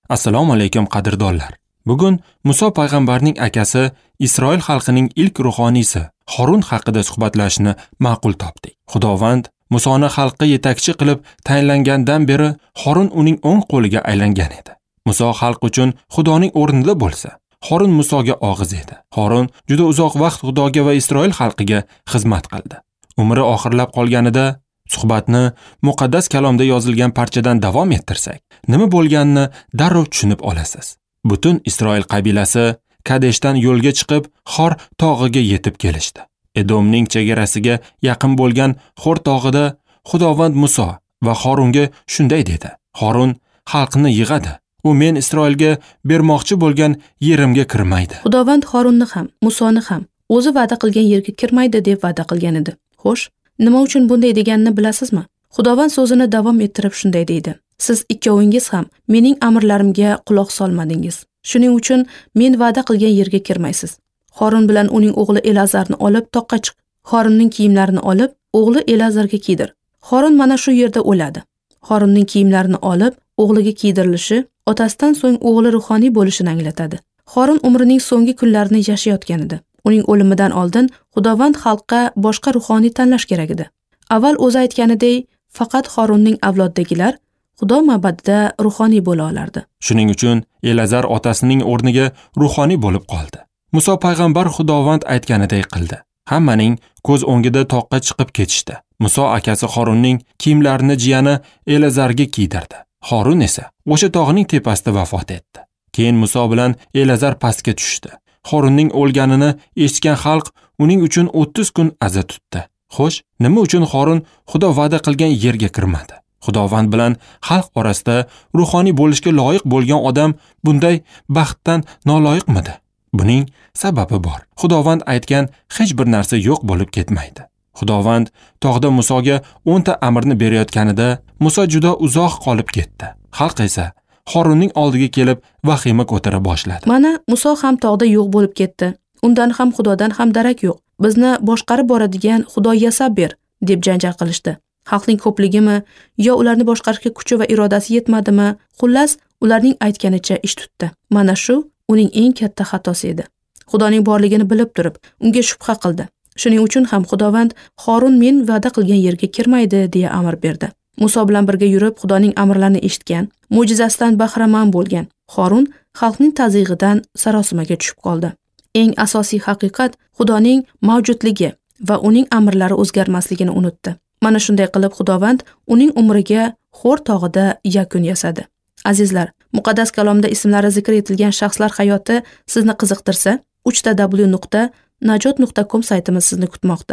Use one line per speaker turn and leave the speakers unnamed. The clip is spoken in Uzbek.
Assalomu alaykum qadrdonlar. Bugun Muso payg'ambarning akasi Isroil xalqining ilk ruhoniysi Horun haqida suhbatlashishni ma'qul topdik. Xudovand Musoni xalqqa yetakchi qilib tayinlangandan beri Horun uning o'ng qo'liga aylangan edi. Muso xalq uchun Xudoning o'rnida bo'lsa, Horun Musoga og'iz edi. Horun juda uzoq vaqt Xudoga va Isroil xalqiga xizmat qildi. Umri oxirlab qolganida suhbatni muqaddas kalomda yozilgan parchadan davom ettirsak, nima bo'lganini darrov tushunib olasiz. Butun Isroil qabilasi Kadeshdan yo'lga chiqib, Xor tog'iga yetib kelishdi. Edomning chegarasiga yaqin bo'lgan Xor tog'ida Xudovand Muso va Horunga shunday dedi: Horun xalqni yig'adi. U men Isroilga bermoqchi bo'lgan yerimga kirmaydi.
Xudovand Horunni ham, Musoni ham o'zi va'da qilgan yerga kirmaydi deb va'da qilgan edi. Xo'sh, nima uchun bunday deganini bilasizmi? Xudovand so'zini davom ettirib shunday deydi: Siz ikkovingiz ham mening amrlarimga quloq solmadingiz. Shuning uchun men va'da qilgan yerga kirmaysiz. Horun bilan uning o'g'li Elazarni olib toqqa chiq. Horunning kiyimlarini olib, o'g'li Elazarga kiydir. Horun mana shu yerda o'ladi. Horunning kiyimlarini olib, o'g'liga kiydirilishi otasidan so'ng o'g'li ruhoniy bo'lishini anglatadi. Horun umrining so'nggi kunlarini yashayotgan edi. Uning o'limidan oldin Xudovand xalqqa boshqa ruhoniy tanlash kerak edi. Avval o'zi aytganidek, faqat Horunning avlodidagilar Xudo ma'badida ruhoniy bo'la olardi.
Shuning uchun Elazar otasining o'rniga ruhoniy bo'lib qoldi. Muso payg'ambar Xudovand aytganiday qildi. Hammaning ko'z o'ngida toqqa chiqib ketishdi. Muso akasi Horunning kiyimlarini jiyani Elazarga kiydirdi. Horun esa o'sha tog'ning tepasida vafot etdi. Keyin Muso bilan Elazar pastga tushdi. Horunning o'lganini eshitgan xalq uning uchun 30 kun aza tutdi. Xo'sh, nima uchun Horun Xudo va'da qilgan yerga kirmadi? Xudovand bilan xalq orasida ruhoniy bo'lishga loyiq bo'lgan odam bunday baxtdan noloyiqmidi? Buning sababi bor. Xudovand aytgan hech bir narsa yo'q bo'lib ketmaydi. Xudovand tog'da Musoga 10 ta amrni berayotganida Muso juda uzoq qolib ketdi. Xalq esa Horunning oldiga kelib vahima ko'tara boshladi.
Mana Muso ham tog'da yo'q bo'lib ketdi. Undan ham Xudodan ham darak yo'q. Bizni boshqarib boradigan Xudo yasab ber, deb janjal qilishdi. Xalqning ko'pligimi yo ularni boshqarishga kuchi va irodasi yetmadimi? Xullas, ularning aytganicha ish tutdi. Mana shu uning eng katta xatosi edi. Xudoning borligini bilib turib, unga shubha qildi. Shuning uchun ham Xudovand Horun men va'da qilgan yerga kirmaydi deya amr berdi. Muso bilan birga yurib, Xudoning amrlarini eshitgan, mo'jizasidan bahramand bo'lgan Horun xalqning tazyiqidan sarosimaga tushib qoldi. Eng asosiy haqiqat Xudoning mavjudligi va uning amrlari o'zgarmasligini unutdi. Mana shunday qilib Xudovand uning umriga Xor tog'ida yakun yasadi. Azizlar, muqaddas kalomda ismlari zikr etilgan shaxslar hayoti sizni qiziqtirsa, www.najot.com saytimiz sizni kutmoqda.